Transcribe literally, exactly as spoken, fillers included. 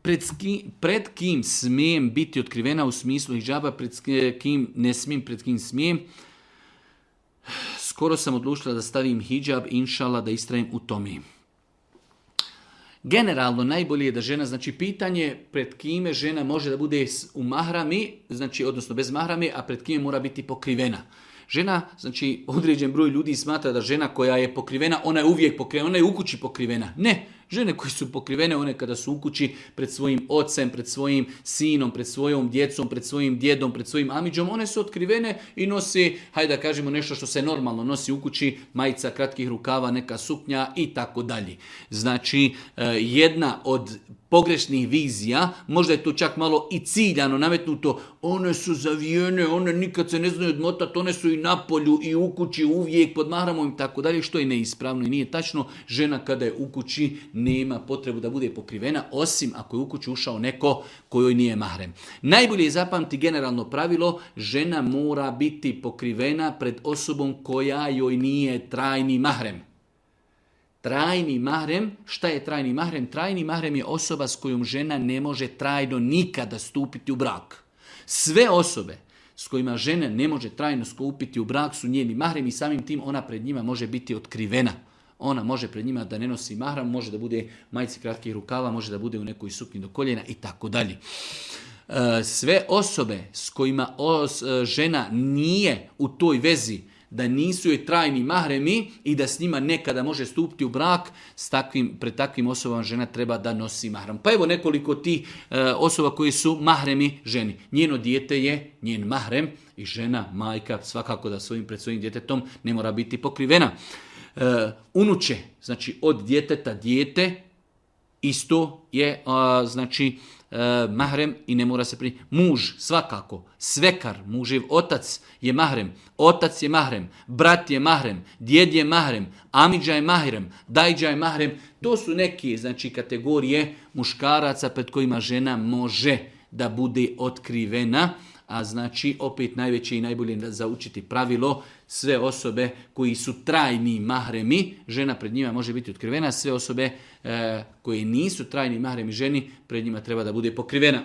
Pred, ski, pred kim smijem biti otkrivena u smislu hidžaba, pred kim ne smijem, pred kim smijem. Skoro sam odlučila da stavim hidžab, inšala, da istrajem u tome. Generalno najbolje je da žena, znači pitanje pred kime žena može da bude u mahrami, znači odnosno bez mahrami, a pred kime mora biti pokrivena. Žena, znači određen broj ljudi smatra da žena koja je pokrivena, ona je uvijek pokrivena, ona je u kući pokrivena. Ne, žene koje su pokrivene, one kada su u kući pred svojim ocem, pred svojim sinom, pred svojom djecom, pred svojim djedom, pred svojim amidžom, one su otkrivene i nosi, hajde da kažemo nešto što se normalno nosi u kući, majica, kratkih rukava, neka suknja i tako dalje. Znači, jedna od pogrešnih vizija, možda je to čak malo i ciljano nametnuto, one su zavijene, one nikad se ne znaju odmotati, one su i na polju i u kući uvijek pod mahramom i tako dalje, što je neispravno i nije tačno. Žena kada je u kući nema potrebu da bude pokrivena, osim ako je u kuću ušao neko kojoj nije mahrem. Najbolje je zapamti generalno pravilo, žena mora biti pokrivena pred osobom koja joj nije trajni mahrem. Trajni mahrem, šta je trajni mahrem? Trajni mahrem je osoba s kojom žena ne može trajno nikada stupiti u brak. Sve osobe s kojima žena ne može trajno stupiti u brak su njeni mahrem i samim tim ona pred njima može biti otkrivena. Ona može pred njima da ne nosi mahram, može da bude majici kratkih rukava, može da bude u nekoj suknji do koljena i tako dalje. Sve osobe s kojima os, žena nije u toj vezi, da nisu joj trajni mahremi i da s njima nekada može stupiti u brak, s takvim, pred takvim osobama žena treba da nosi mahram. Pa evo nekoliko tih e, osoba koji su mahremi ženi. Njeno dijete je njen mahrem i žena, majka, svakako da svojim, pred svojim djetetom ne mora biti pokrivena. E, unuče, znači od djeteta dijete, isto je a, znači e, mahrem i ne mora se pri... Muž, svakako, svekar, muživ otac je mahrem, otac je mahrem, brat je mahrem, djed je mahrem, amidža je mahrem, dajđa je mahrem. To su neke, znači, kategorije muškaraca pred kojima žena može da bude otkrivena. A znači, opet najveće i najbolje za učiti pravilo, sve osobe koji su trajni mahremi, žena pred njima može biti otkrivena, sve osobe e, koje nisu trajni mahremi ženi, pred njima treba da bude pokrivena.